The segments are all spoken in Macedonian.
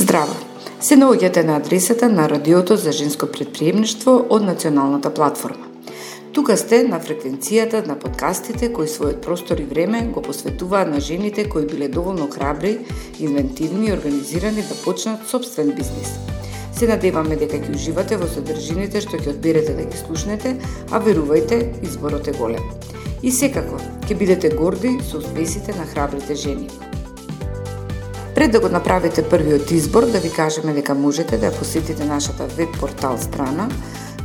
Здраво! Се наоѓате на адресата на Радиото за женско претприемништво од Националната платформа. Тука сте на фреквенцијата на подкастите кои својот простор и време го посветуваат на жените кои биле доволно храбри, инвентивни и организирани да почнат собствен бизнис. Се надеваме дека ќе уживате во содржините што ќе одберете да ги слушнете, а верувајте, изборот е голем. И секако, ќе бидете горди со успесите на храбрите жени. Пред да го направите првиот избор, да ви кажеме дека можете да посетите нашата веб-портал страна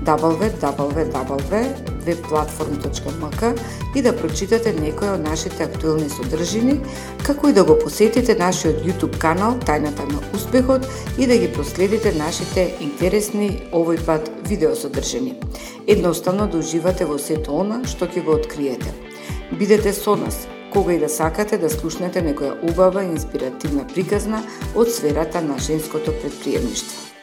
www.webplatform.mk и да прочитате некои од нашите актуелни содржини, како и да го посетите нашиот YouTube канал Тајната на успехот и да ги проследите нашите интересни овој пат видеосодржини. Едноставно да уживате во сето она што ќе го откриете. Бидете со нас кога и да сакате да слушнете некоја убава и инспиративна приказна од сферата на женското претприемништво.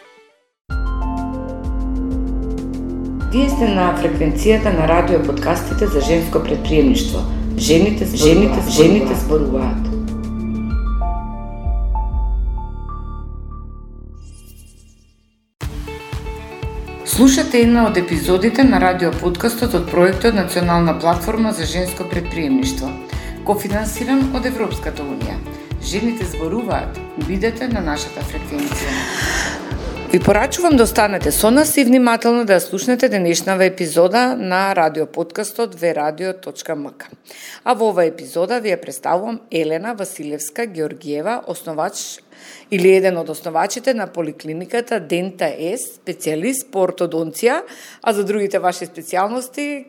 Вие сте на фреквенцијата на радио подкастите за женско претприемништво. Жените зборуваат. Слушате една од епизодите на радио подкастот од проектот Национална платформа за женско претприемништво, кофинансиран од Европската унија. Жените зборуваат. Бидете на нашата фреквенција. Ви порачувам да останете со нас и внимателно да ја слушнете денешнава епизода на радиоподкастот vradio.mk. А во оваа епизода ви ја представувам Елена Василевска Георгиева, основач или еден од основачите на поликлиниката Дента С, специјалист по ортодонција, а за другите ваши специјалности,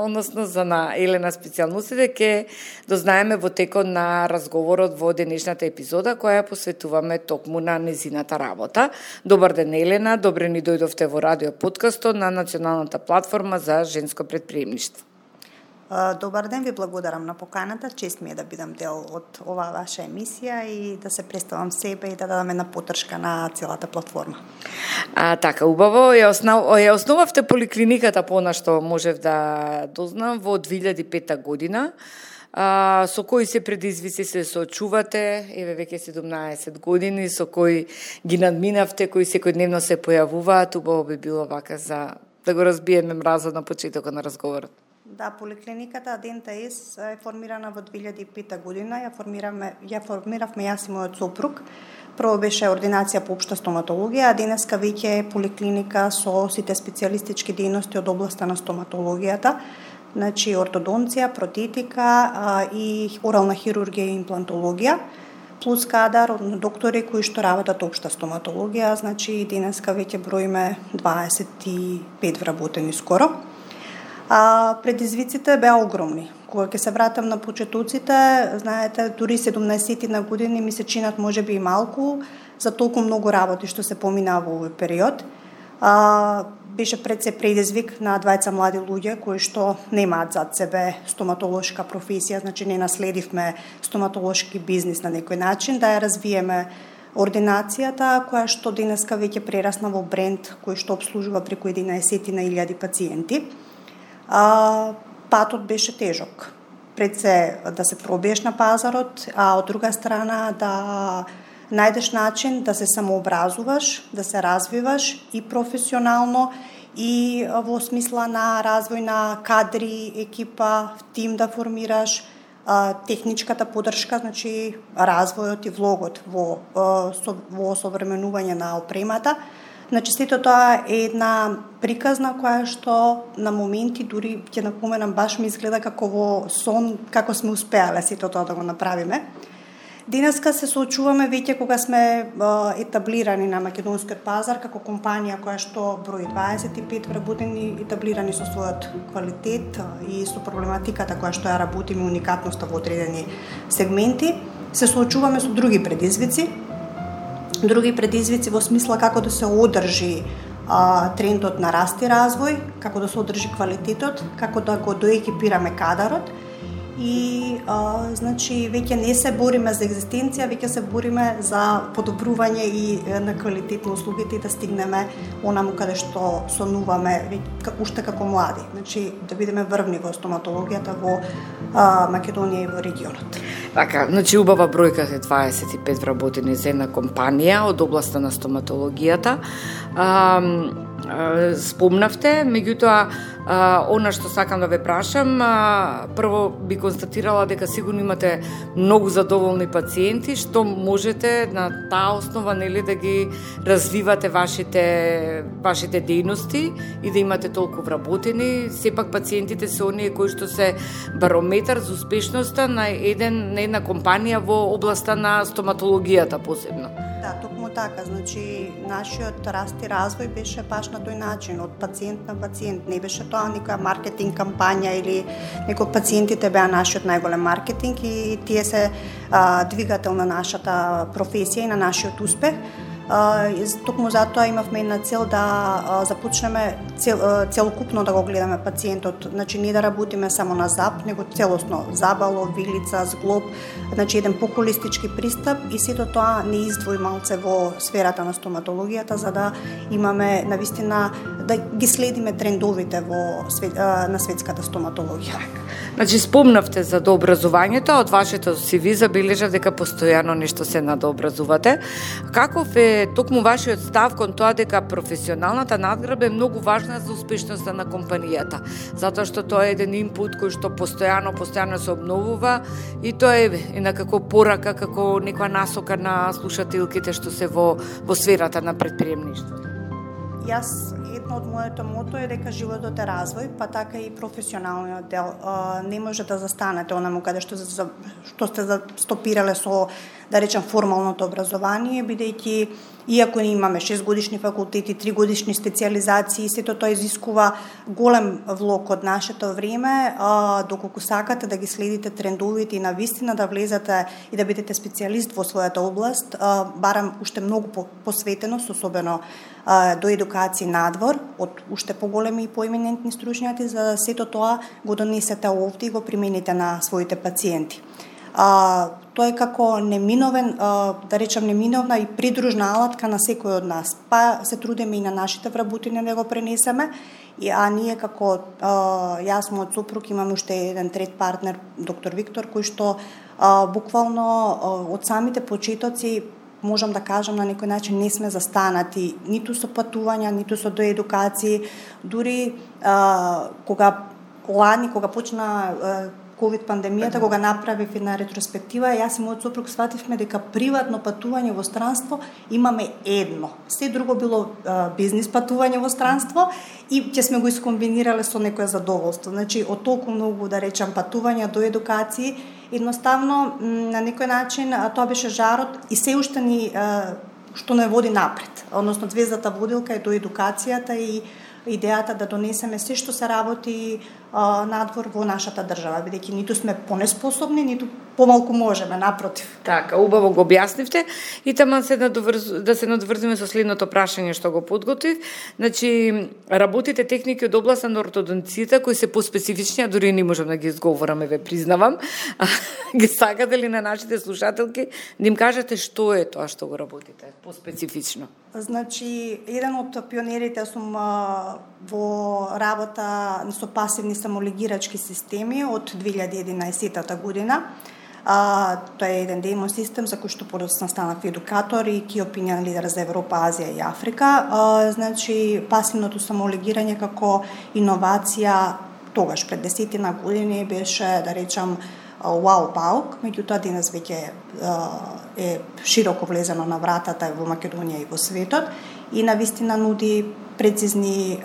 односно за на Елена специјалностите, ќе дознаеме во текот на разговорот во денешната епизода, која посветуваме токму на незината работа. Добар ден, Елена, добре ни дојдовте во радио подкастот на Националната платформа за женско претприемништво. Добар ден, ви благодарам на поканата. Чест ми е да бидам дел од оваа ваша емисија и да се представам себе и да дадам една поддршка на целата платформа. Така, убаво. Ја основавте поликлиниката, понашто можев да дознам, во 2005 година. Со кои се предизвици се соочувате, еве веќе 17 години, со кои ги надминавте, кои секојдневно се појавуваат, убаво би било вака за да го разбиеме мразот на почетокот на разговорот. Да, поликлиниката Дента С е формирана во 2005 година. Ја формиравме јас и мојот сопруг. Прво беше ординација по општа стоматологија, а денеска веќе е поликлиника со сите специјалистички дејности од областа на стоматологијата. Значи ортодонција, протетика и орална хирургија и имплантологија, плюс кадар од доктори кои што работат општа стоматологија. Значи денеска веќе броиме 25 вработени скоро. Предизвиците беа огромни. Кога ќе се вратам на почетоците, знаете, дури 17 на години ми се чинат можеби и малку за толку многу работи што се поминаа во овој период. Беше пред се предизвик на двајца млади луѓе кои што немаат зад себе стоматолошка професија, значи не наследивме стоматолошки бизнис на некој начин, да ја развиеме ординацијата која што денеска веќе прерасна во бренд кој што обслужува преку 11.000 пациенти. Патот беше тежок. Пред се да се пробиеш на пазарот, а од друга страна да најдеш начин да се самообразуваш, да се развиваш и професионално и во смисла на развој на кадри, екипа, тим да формираш, техничката поддршка, значи развојот и влогот во осовременување на опремата. Значи, сето тоа е една приказна која што на моменти дури ќе напоменам баш ми изгледа како во сон, како сме успеале сето тоа да го направиме. Денеска се соочуваме веќе кога сме етаблирани на македонскиот пазар како компанија која што брои 25 вработени, етаблирани со својот квалитет и со проблематиката која што ја работиме, уникатноста во одредени сегменти. Се соочуваме со други предизвици во смисла како да се одржи трендот на раст и развој, како да се одржи квалитетот, како да го доекипираме кадарот и значи веќе не се бориме за екзистенција, веќе се бориме за подобрување и на квалитет на услугите и да стигнеме онаму каде што сонуваме уште како млади, значи да бидеме врвни во стоматологијата во Македонија и во регионот. Така, значи убава бројка е 25 вработени за една компанија од областа на стоматологијата. Спомнавте, меѓутоа, она што сакам да ве прашам, прво би констатирала дека сигурно имате многу задоволни пациенти, што можете на таа основа, нели, да ги развивате вашите дејности и да имате толку вработени. Сепак пациентите се оние кои што се барометар за успешноста на една компанија во областа на стоматологијата посебно. Да, токму така, значи нашиот раст и развој беше баш на тој начин, од пациент на пациент, не беше тоа некоја маркетинг кампања или некој пациентите беа нашиот најголем маркетинг и тие се двигател на нашата професија и на нашиот успех. Токму затоа имавме една цел да започнеме целокупно да го гледаме пациентот, значи не да работиме само на зап, него целосно забало, вилица, зглоб, значи еден по-холистички пристап и сето тоа не издвои малце во сферата на стоматологијата за да имаме навистина да ги следиме трендовите на светската стоматологија. Значи спомнавте за дообразувањето, од вашето CV забележав дека постојано нешто се надообразувате. Каков е токму вашиот став кон тоа дека професионалната надградба е многу важна за успешноста на компанијата, затоа што тоа е еден инпут кој што постојано се обновува и тоа е некако порака, како некоја насока на слушателките што се во сферата на предприемништвото. Јас едно од моето мото е дека животот е развој, па така и професионалниот дел. Не може да застанете онаму каде што сте стопирале со, да речем, формалното образование, бидејќи иако имаме 6 годишни факултети, 3 годишни специјализации, сето тоа изискува голем влог од нашето време, доколку сакате да ги следите трендовите и навистина да влезете и да бидете специјалист во својата област, барам уште многу посветеност, особено до едукација надвор, од уште поголеми и поименентни стручњаци, за сето тоа го донесете овде и го примените на своите пациенти. Тоа е како неминовен, да речем неминовна и придружна алатка на секој од нас. Па се трудиме и на нашите вработени да го пренесеме, а ние како јас, мојот сопруг, имаме уште еден трет партнер, доктор Виктор, кој што буквално од самите почетоци можам да кажам на некој начин не сме застанати ниту со патувања, ниту со доедукации, дури кога почна ковид пандемијата, кога направив една ретроспектива, јас и мојот сопруг свативме дека приватно патување во странство имаме едно. Се друго било бизнис патување во странство и ќе сме го искомбинирале со некое задоволство. Значи, од толку многу, да речам, патувања до едукации, едноставно, на некој начин, тоа беше жарот и се уште ни, што не води напред. Односно, звездата водилка е до едукацијата и идејата да донесеме се што се работи надвор во нашата држава, бидејќи ниту сме понеспособни, ниту помалку можеме, напротив. Така, убаво го објаснивте и таман да се надврзиме со следното прашање што го подготвив. Значи, работите техники од областа на ортодонцијата кои се поспецифични, а дури не можам да ги изговорам, ве признавам. Ги сакате ли на нашите слушателки да им кажете што е тоа што го работите поспецифично? Значи, еден од пионерите сум во работа со пасивни самолегирачки системи од 2011 година. Тоа е еден демо систем за кој што подоцна станав едукатор и ки опинион лидер за Европа, Азија и Африка. Значи, пасивното самолегирање како иновација тогаш пред 10 години беше, да речам, вау паук, меѓутоа денес веќе е широко влезено на вратата во Македонија и во светот и навистина нуди прецизни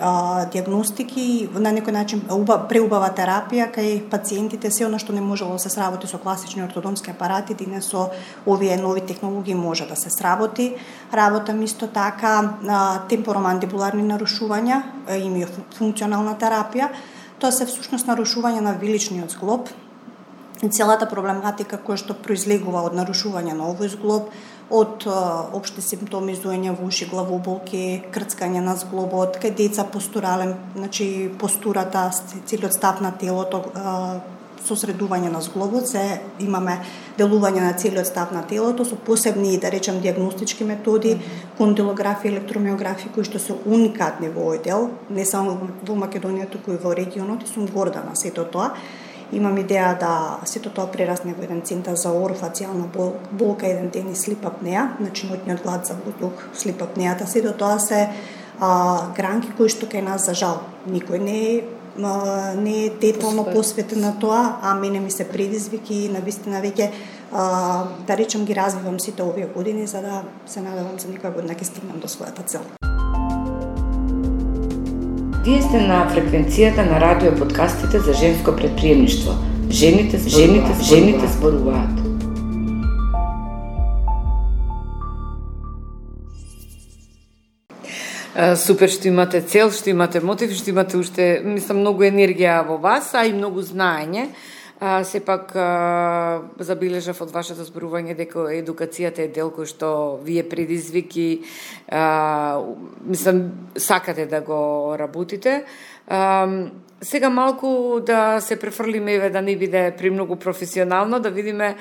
диагностики, на некој начин преубава терапија кај пациентите, се она што не можело да се сработи со класични ортодонски апарати, денес со овие нови технологии може да се сработи. Работам исто така темпоромандибуларни нарушувања, и функционална терапија. Тоа се всушност нарушување на виличниот зглоб, и целата проблематика која што произлегува од нарушување на овој зглоб, од општи симптоми зуење во уши, главоболки, крцкање на зглобот, кај деца постурален, значи постурата, целиот став на телото, сосредување на зглобот, се имаме делување на целиот став на телото со посебни, да речем, диагностички методи, кондилографија, електромиографија, кои што се уникатни во овој дел, не само во Македонија, туку и во регионот, и сум горда на сето тоа. Имам идеја да сето тоа прерасне во еден центар за орофацијална болка, еден ден и слип апнеа, значи ноќниот глад за воздух, слип апнеата, сето тоа се гранки кои што кај нас за жал никој не е детално посветен на тоа, а мене ми се предизвики и навистина веќе да речем ги развивам сите овие години за да се надевам за некоја година ќе стигнам до својата цел. Вие сте на фреквенцијата на радио подкастите за женско предприемништво. Жените зборуваат. Супер што имате цел, што имате мотив, што имате уште, мислам, многу енергија во вас, а и многу знаење. Сепак забележав од вашето зборување дека едукацијата е дел кој што вие предизвики, мислам, сакате да го работите. Сега малку да се префрлиме, да не биде премногу професионално, да видиме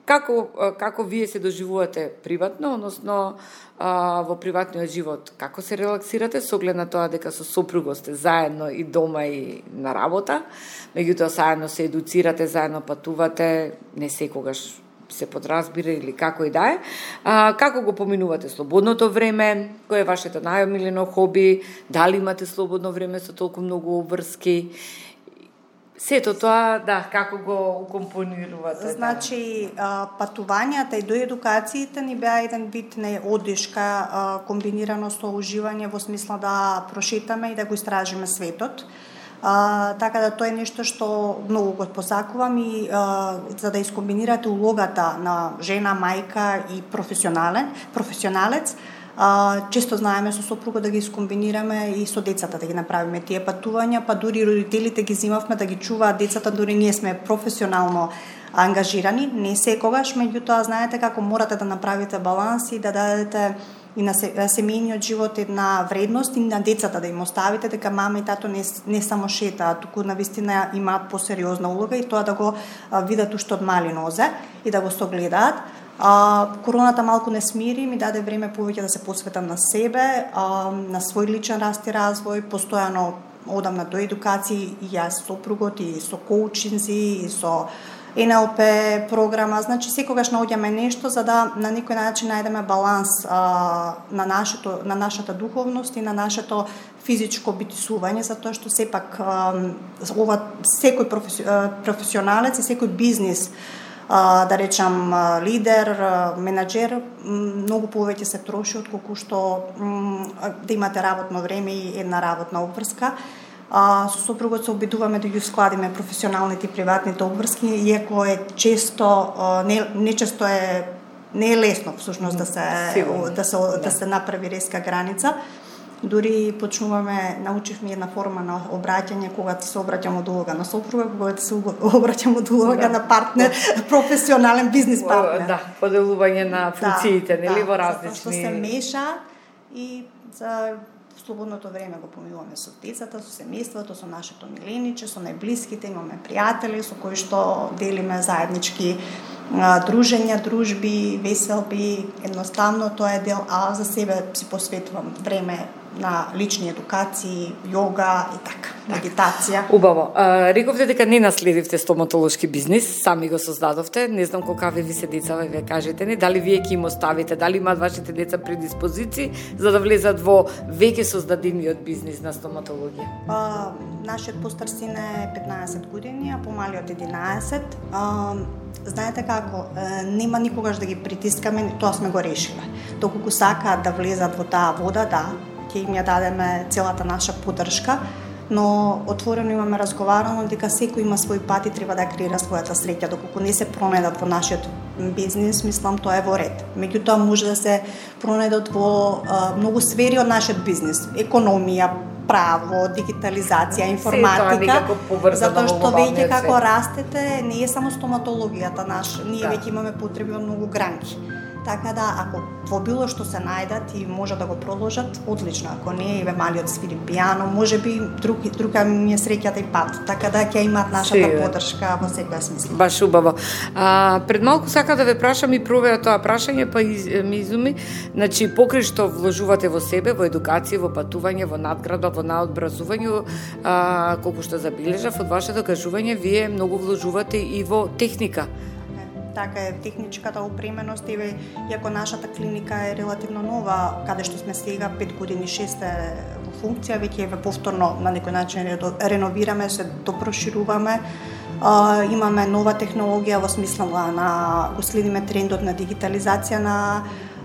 како вие се доживувате приватно, односно во приватниот живот, како се релаксирате со оглед на тоа дека со сопругот сте заедно и дома и на работа, меѓутоа заедно се едуцирате, заедно патувате, не секогаш се подразбира или како и да е. Како го поминувате слободното време? Кој е вашето најомилено хоби? Дали имате слободно време со толку многу обврски? Сето тоа, да, како го компонирувате? Значи, патувањата и до едукациите ни беа еден вид на одишка, комбинирано со уживање во смисла да прошетаме и да го истражиме светот. Така да тоа е нешто што многу го посакувам и за да искомбинирате улогата на жена, мајка и професионалец, често знаеме со сопругот да ги искомбинираме и со децата да ги направиме тие патувања, па дури родителите ги зимавме да ги чуваат децата, дури ние сме професионално ангажирани, не секогаш, меѓутоа знаете како морате да направите баланс и да дадете и на семејниот живот една вредност и на децата да им оставите дека мама и тато не само шетаат, туку навистина имаат посериозна улога и тоа да го видат уште од мали нозе и да го согледаат. Короната малку не смири, ми даде време повеќе да се посветам на себе, на свој личен раст и развој, постојано одам на доедукации и јас сопругот и со коучинзи и со НЛП програма, значи секогаш наоѓаме нешто за да на некој начин најдеме баланс на нашата духовност и на нашето физичко битисување, затоа што сепак секој професионалец и секој бизнис, да речам лидер, менаџер, многу повеќе се троши отколку што да имате работно време и една работна обврска. Со сопругот се обидуваме да ги складиме професионалните и приватните обврски, иако е често не е лесно всушност да се направи резка граница. Дури научивме една форма на обраќање кога ти се обраќам од улога на сопруга, кога ти се обраќам од улога на партнер, професионален бизнис партнер. Да, поделување на функциите, нели во различни. Што се меша и за слободното време го поминуваме со децата, со семејството, со нашето милениче, со најблиските, имаме пријатели со кои што делиме заеднички дружења, дружби, веселби, едноставно тоа е дел, а за себе си посветувам време на лични едукации, йога и така, медитација. Убаво. Рековте дека не наследивте стоматолошки бизнис, сами го создадовте. Не знам колкави ви се деца, ве кажете ни, дали вие ќе им оставите, дали имаат вашите деца предиспозиции за да влезат во веќе создадениот бизнис на стоматологија? Нашиот постар син е 15 години, а помалиот 11. Знаете како, нема никогаш да ги притискаме, тоа сме го решиле. Доколку сакаат да влезат во таа вода, да, ќе им ја дадеме целата наша поддршка, но отворено имаме разговарано дека секој има свој пат и треба да креира својата среќа. Доколку не се пронедат во нашиот бизнис, мислам тоа е во ред. Меѓутоа може да се пронедат во многу сфери од нашиот бизнис, економија, право, дигитализација, информатика, затоа што веќе како растете, не е само стоматологијата наша, ние веќе имаме потреби од многу гранки. Така да, ако во било што се најдат и може да го продолжат, одлично. Ако не, еве малиот свири пијано, можеби друга ми е среќата и пат. Така да ќе имаат нашата поддршка во секоја смисла. Баш убаво. Пред малку сака да ве прашам и провера тоа прашање, па ми изуми, значи покрај што вложувате во себе, во едукација, во патување, во надградба, во наобразување, колку што забележав од вашето кажување, вие многу вложувате и во техника. Така е, техничката опременост, иако нашата клиника е релативно нова, каде што сме сега 5 години, 6 во функција, веќе еве повторно на некој начин реновираме, се допрошируваме. Имаме нова технологија во смисла на го следиме трендот на дигитализација на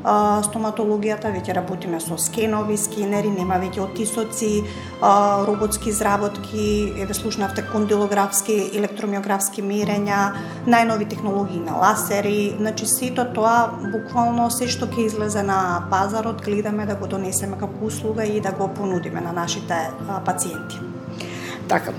стоматологијата, веќе работиме со скенови, скенери, нема веќе отисоци, роботски изработки, еве слушнавте кондилографски, електромиографски мерења, најнови технологии на ласери, значи сето тоа буквално се што ќе излезе на пазарот гледаме да го донесеме како услуга и да го понудиме на нашите пациенти. Така.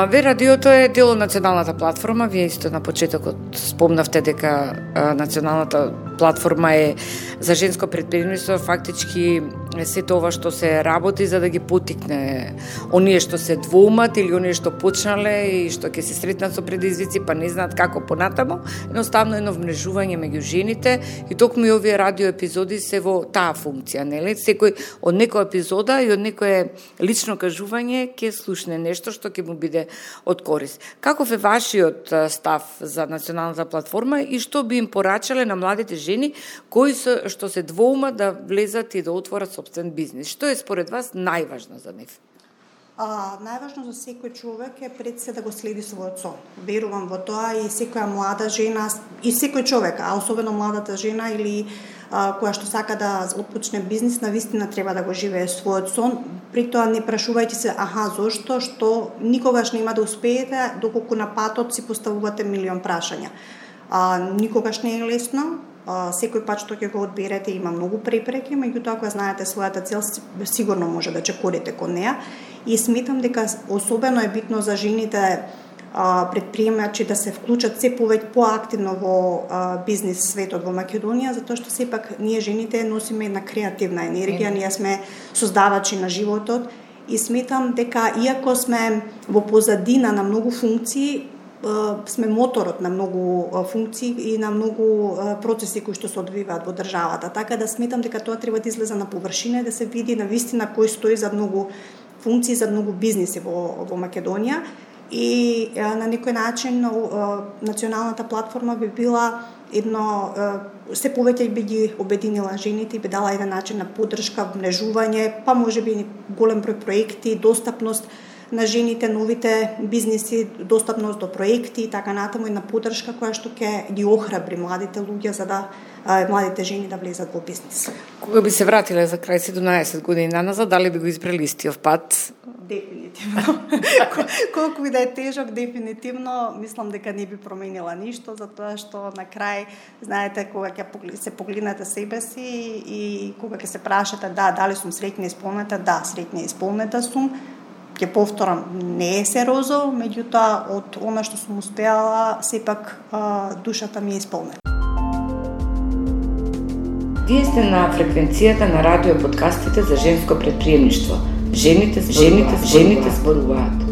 Ве радиото е дел од националната платформа. Вие исто на почетокот спомнавте дека националната платформа е за женско предприемништво, фактички се тоа што се работи за да ги поттикне оние што се двоумат или оние што почнале и што ќе се сретнат со предизвици, па не знаат како понатамо, едноставно едно вмрежување меѓу жените и токму и овие радио епизоди се во таа функција, нели? Секој од некоја епизода и од некое лично кажување ќе слушне нешто што ќе му биде од корист. Каков е вашиот став за националната платформа и што би им порачале на младите жени кои што се двоумат да влезат и да отворат собствен бизнис? Што е според вас најважно за нив? Најважно за секој човек е пред се да го следи својот сон. Верувам во тоа и секоја млада жена и секој човек, а особено младата жена или која што сака да отпочне бизнис, навистина треба да го живее својот сон. При тоа не прашувајте се, зошто, што никогаш нема да успеете доколку на патот си поставувате милион прашања. Никогаш не е лесно. Секој пат што ќе го одберете има многу препреки, меѓутоа кога знаете својата цел, сигурно може да чекорите кон неа. И сметам дека особено е битно за жените предприемачи да се вклучат се повеќе поактивно во бизнис светот во Македонија, затоа што сепак ние жените носиме една креативна енергија, ние сме создавачи на животот и сметам дека иако сме во позадина на многу функции, сме моторот на многу функции и на многу процеси кои што се одвиваат во државата. Така да сметам дека тоа треба да излезе на површина и да се види навистина кој стои за многу функции, за многу бизниси во Македонија. И на некој начин националната платформа би била едно се повеќе би ги обединила жените и би дала еден начин на поддршка, вмрежување, па можеби голем број проекти, достапност на жените, новите бизниси, достапност до проекти и така натаму, една поддршка која што ќе ги охрабри младите луѓе за да младите жени да влезат во бизнис. Кога би се вратиле за крај 17 години назад, дали би го избрали истиот пат? Дефинитивно. Колку и да е тежок, дефинитивно мислам дека не би променила ништо, затоа што на крај, знаете, кога ќе се погледнете себе си и кога ќе се прашате дали сум среќна и исполнета, среќна и исполнета сум. Ќе повторам, не е се розово, меѓутоа од она што сум успеала, сепак душата ми е исполнета. Вие сте на фреквенцијата на радио подкастите за женско предприемништво. Жените зборуваат.